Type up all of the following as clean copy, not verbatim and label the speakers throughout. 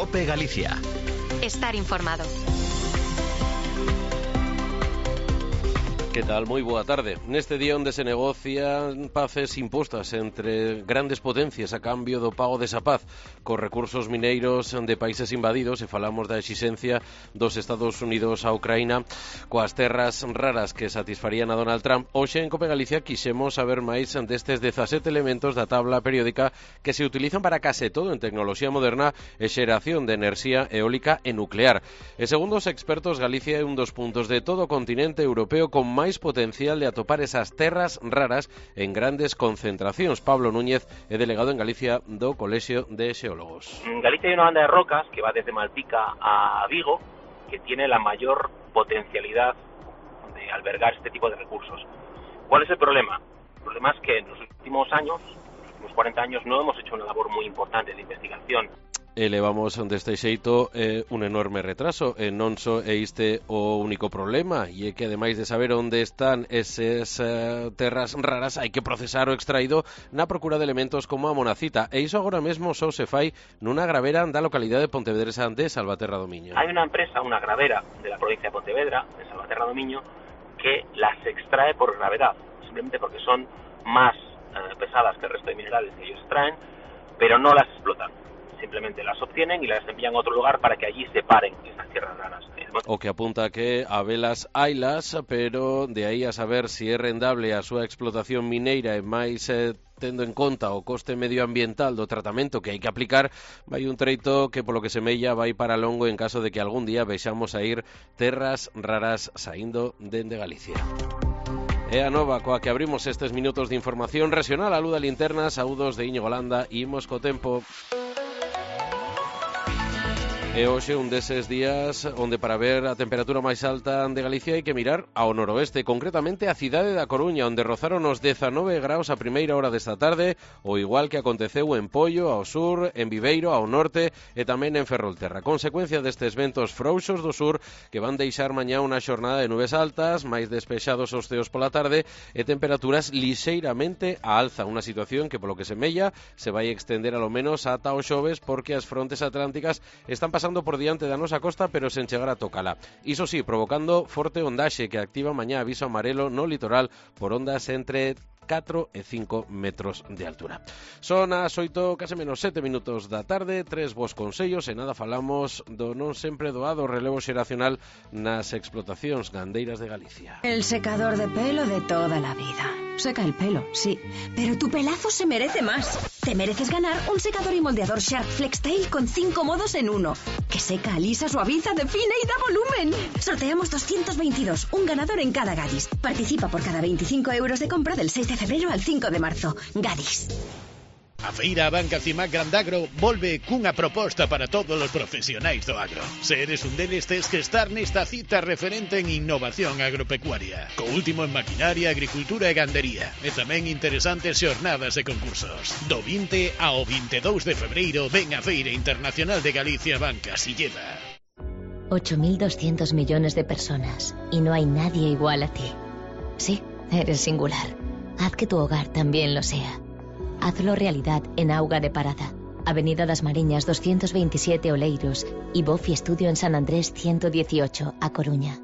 Speaker 1: COPE Galicia.
Speaker 2: Estar informado.
Speaker 3: Que tal? Moi boa tarde. Neste día onde se negocian paces impostas entre grandes potencias a cambio do pago desa paz cos recursos mineiros de países invadidos, e falamos da exixencia dos Estados Unidos a Ucraína coas terras raras que satisfarían a Donald Trump. Hoxe en COPE Galicia quixemos saber máis destes 17 elementos da tabla periódica que se utilizan para case todo en tecnoloxía moderna e xeración de enerxía eólica e nuclear. E segundo os expertos, Galicia é un dos puntos de todo o continente europeo con máis potencial de atopar esas terras raras en grandes concentracións. Pablo Núñez é delegado en Galicia do Colexio de Xeólogos.
Speaker 4: En Galicia hay una banda de rocas que va desde Malpica a Vigo, que tiene la mayor potencialidad de albergar este tipo de recursos. ¿Cuál es el problema? El problema es que en los últimos años, los últimos 40 años, no hemos hecho una labor muy importante de investigación.
Speaker 3: Elevamos deste xeito un enorme retraso, e non só é este o único problema, e é que ademais de saber onde están esas terras raras, hai que procesar o extraído na procura de elementos como a monacita, e iso agora mesmo só se fai nunha gravera da localidade de Pontevedresa de Salvaterra do Miño.
Speaker 4: Hay una empresa, una gravera de la provincia de Pontevedra, de Salvaterra do Miño, que las extrae por gravedad, simplemente porque son más pesadas que el resto de minerales que ellos extraen, pero no las explotan. Simplemente las obtienen y las envían a otro lugar para que allí separen esas tierras raras.
Speaker 3: O que apunta que a velas hailas, pero de aí a saber se é rendable a súa explotación mineira e máis tendo en conta o coste medioambiental do tratamento que hai que aplicar, vai un treito que polo que semella vai para longo en caso de que algún día vexamos a ir terras raras saindo dende Galicia. É a nova coa que abrimos estes minutos de información regional. A luz da linterna, saúdos de Íñigo Landa, imos co tempo. E hoxe un deses días onde para ver a temperatura máis alta de Galicia hai que mirar ao noroeste, concretamente a cidade da Coruña, onde rozaron os 19 graus a primeira hora desta tarde, o igual que aconteceu en Poio, ao sur, en Viveiro, ao norte e tamén en Ferrolterra. Consecuencia destes ventos frouxos do sur que van deixar mañá unha xornada de nubes altas, máis despexados os ceos pola tarde e temperaturas lixeiramente a alza, unha situación que polo que semella se vai extender a lo menos ata o xoves, porque as frontes atlánticas están pasando por diante da nosa costa, pero sen chegar a tocala. Iso sí, provocando forte ondaxe que activa mañá aviso amarelo no litoral por ondas entre 4 e 5 metros de altura. Son as 8, case menos 7 minutos da tarde, 3 bos consellos e nada falamos do non sempre doado relevo xeracional nas explotacións gandeiras de Galicia.
Speaker 5: El secador de pelo de toda la vida. Seca el pelo, sí, pero tu pelazo se merece más. Te mereces ganar un secador y moldeador Shark FlexTail con 5 modos en uno. Que seca, alisa, suaviza, define y da volumen. Sorteamos 222, un ganador en cada Gadis. Participa por cada 25 euros de compra del 6 de febrero al 5 de marzo. Gadis.
Speaker 6: A Feira Banca Cimac Grandagro volve cunha proposta para todos os profesionais do agro. Se eres un deles, tes que estar nesta cita referente en innovación agropecuaria, co último en maquinaria, agricultura e gandería, e tamén interesantes xornadas e concursos. Do 20 ao 22 de febreiro ven a Feira Internacional de Galicia Banca Silleda.
Speaker 7: 8.200 millones de personas, y no hay nadie igual a ti. Sí, eres singular. Haz que tu hogar también lo sea. Hazlo realidad en Auga de Parada, Avenida das Mariñas 227 Oleiros y Bofi Estudio en San Andrés 118, A Coruña.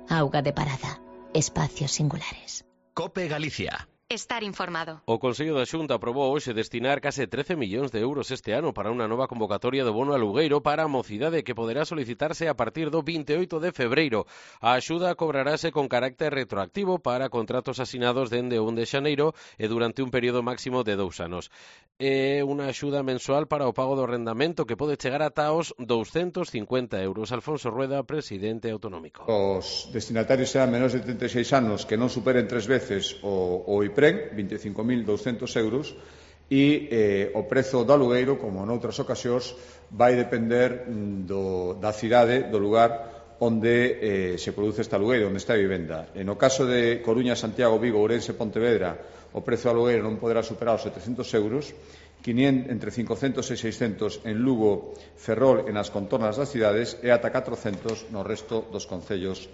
Speaker 7: Auga de Parada, espacios singulares.
Speaker 1: COPE Galicia.
Speaker 2: Estar informado.
Speaker 3: O Consello da Xunta aprobou hoxe destinar case 13 millóns de euros este ano para unha nova convocatoria do bono alugueiro para a mocidade que poderá solicitarse a partir do 28 de febreiro. A axuda cobrarase con carácter retroactivo para contratos asinados dende 1 de xaneiro e durante un período máximo de 2 anos. É unha axuda mensual para o pago do arrendamento que pode chegar ata os 250 euros. Alfonso Rueda, presidente autonómico.
Speaker 8: Os destinatarios serán menores de 36 anos que non superen 3 veces o IPREN, 25.200 euros, e o prezo do alugueiro, como noutras ocasións, vai depender da cidade, do lugar onde se produce este alugueiro, onde está a vivenda. No caso de Coruña, Santiago, Vigo, Ourense, Pontevedra, o prezo do alugueiro non poderá superar os 700 euros, entre 500 e 600 en Lugo, Ferrol e nas contornas das cidades e ata 400 no resto dos concellos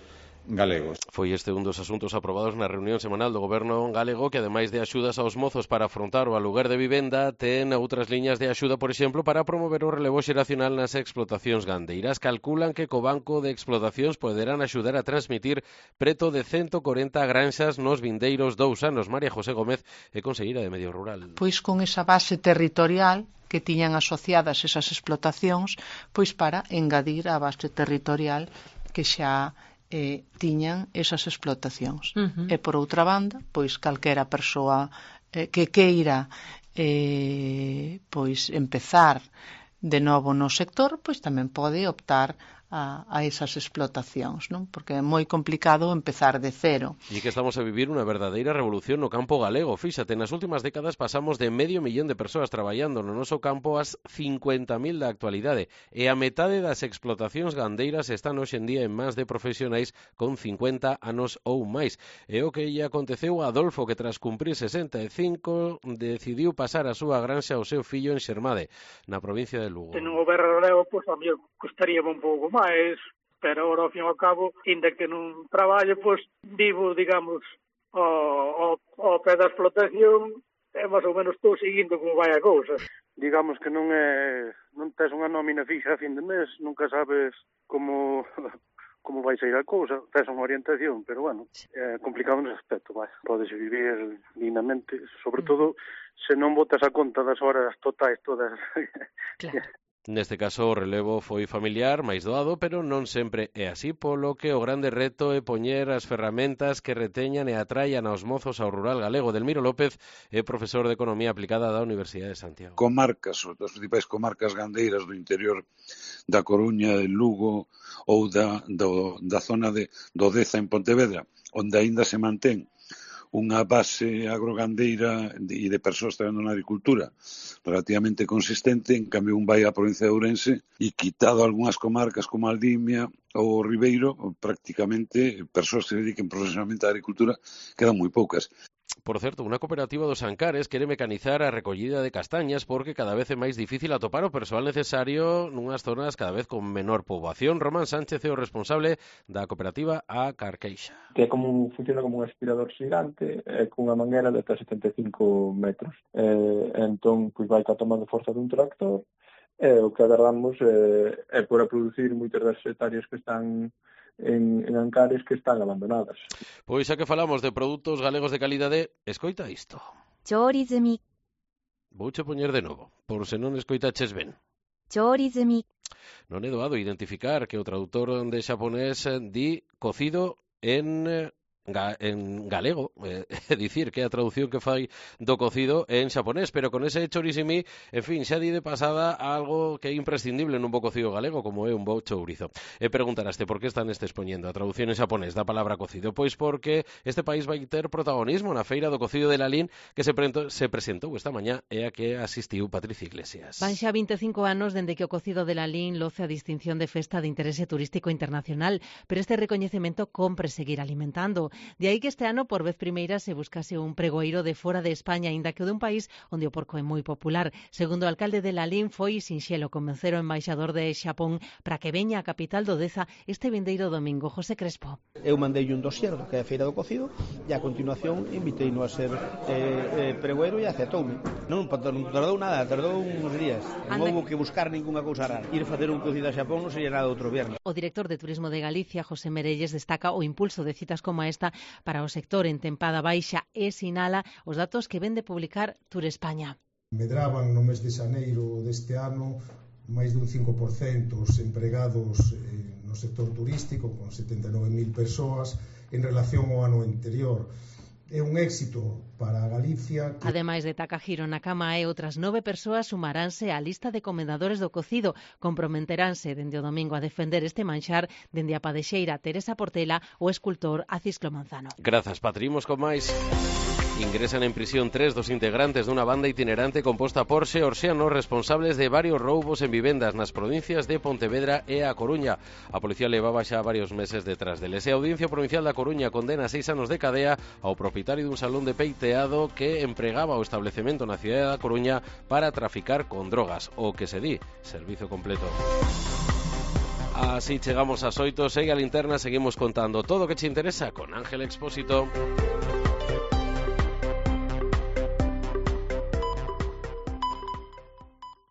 Speaker 8: galegos.
Speaker 3: Foi este un dos asuntos aprobados na reunión semanal do Goberno galego, que ademais de axudas aos mozos para afrontar o aluguer de vivenda, ten outras liñas de axuda, por exemplo, para promover o relevo xeracional nas explotacións gandeiras. Calculan que co Banco de Explotacións poderán axudar a transmitir preto de 140 granxas nos vindeiros 2 anos. María José Gómez é conselleira de Medio Rural.
Speaker 9: Pois con esa base territorial que tiñan asociadas esas explotacións, pois para engadir a base territorial que xa tiñan esas explotacións. E por outra banda, pois calquera persoa que queira pois empezar de novo no sector, pois tamén pode optar a esas explotacións, non? Porque é moi complicado empezar de cero.
Speaker 3: E que estamos a vivir unha verdadeira revolución no campo galego. Fíxate, nas últimas décadas pasamos de 500.000 de persoas traballando no noso campo ás 50.000 da actualidade, e a metade das explotacións gandeiras están hoxe en día en mans de profesionais con 50 anos ou máis. E o que lle aconteceu a Adolfo, que tras cumprir 65 decidiu pasar a súa granxa ao seu fillo en Xermade, na provincia de Lugo.
Speaker 10: En un goberno galego, pois a mí costaríame un pouco máis, pero ahora, ao fin e ao cabo, ainda que non traballo, pois vivo, digamos, ao pé da explotación, e máis ou menos estou seguindo como vai a cousa. Digamos que non tes unha nómina fixa a fin de mes, nunca sabes como vai sair a cousa, tes unha orientación, pero bueno, é complicado nese aspecto, vai. Podes vivir dignamente, sobre todo se non botas a conta das horas totais todas.
Speaker 7: Claro.
Speaker 3: Neste caso o relevo foi familiar, máis doado, pero non sempre é así, polo que o grande reto é poñer as ferramentas que reteñan e atraian aos mozos ao rural galego. Delmiro López é profesor de Economía Aplicada da Universidade de Santiago.
Speaker 11: Comarcas, das principais comarcas gandeiras do interior da Coruña, de Lugo ou da zona do Deza en Pontevedra, onde aínda se mantén unha base agrogandeira e de persoas traballando na agricultura relativamente consistente. En cambio, un vai á provincia de Ourense e, quitado algunhas comarcas como Aldimia ou Ribeiro, prácticamente persoas que se dediquen profesionalmente á agricultura quedan moi poucas.
Speaker 3: Por certo, unha cooperativa dos Ancares quere mecanizar a recollida de castañas porque cada vez é máis difícil atopar o persoal necesario nunhas zonas cada vez con menor poboación. Román Sánchez é o responsable da cooperativa A Carqueixa.
Speaker 12: Que funciona como un aspirador xigante cunha manguera de ata 75 metros. Entón, pois vai tomando forza dun tractor e o que agardamos é por a producir moitas das hectáreas que están en Ancares que están abandonadas.
Speaker 3: Pois xa que falamos de produtos galegos de calidade, escoita isto.
Speaker 7: Chorizumi.
Speaker 3: Vouche poñer de novo, por se non escoitaches ben.
Speaker 7: Chorizumi.
Speaker 3: Non é doado identificar que o traductor de xaponés di cocido en galego, é dicir, que é a traducción que fai do cocido en xaponés, pero con ese chorizumi, en fin, xa di de pasada algo que é imprescindible nun bo cocido galego, como é un bo chourizo. E preguntaraste por que están expoñendo a traducción en xaponés da palabra cocido? Pois porque este país vai ter protagonismo na feira do cocido de Lalín que se presentou esta mañá e a que asistiu Patricia Iglesias.
Speaker 13: Van xa 25 anos dende que o cocido de Lalín loce a distinción de festa de interese turístico internacional, pero este recoñecemento compre seguir alimentando. De aí que este ano, por vez primeira, se buscase un pregoeiro de fora de España, aínda que o dun país onde o porco é moi popular. Segundo o alcalde de Lalín, foi sinxelo convencer o embaixador de Xapón para que veña a capital do Deza este vindeiro domingo. José Crespo.
Speaker 14: Eu mandei un dosier do que é a feira do cocido e a continuación inviteino a ser pregoeiro e aceptoume. Non tardou nada, tardou uns días. Non houve que buscar ninguna cousa rara. Ir facer un cocido a Xapón non sería nada outro viernes.
Speaker 13: O director de Turismo de Galicia, José Merelles, destaca o impulso de citas como esta para o sector en tempada baixa e sinala os datos que ven de publicar Tour España.
Speaker 15: Medraban no mes de xaneiro deste ano máis dun 5% os empregados no sector turístico, con 79.000 persoas en relación ao ano anterior. É un éxito para Galicia.
Speaker 13: Ademais de Takahiro Nakama e outras 9 persoas sumaránse á lista de comendadores do cocido. Comprometeránse dende o domingo a defender este manxar dende a padexeira Teresa Portela o escultor Acisclo Manzano.
Speaker 3: Grazas, Patrimos, con máis. Ingresan en prisión 3 dos integrantes dunha banda itinerante composta por xeorxianos responsables de varios roubos en vivendas nas provincias de Pontevedra e A Coruña. A policía levaba xa varios meses detrás deles. E a Audiencia Provincial da Coruña condena 6 anos de cadea ao propietario dun salón de peiteado que empregaba o establecemento na cidade da Coruña para traficar con drogas, o que se di servizo completo. Así chegamos ás 8, segue a linterna, seguimos contando todo o que che interesa con Ángel Expósito.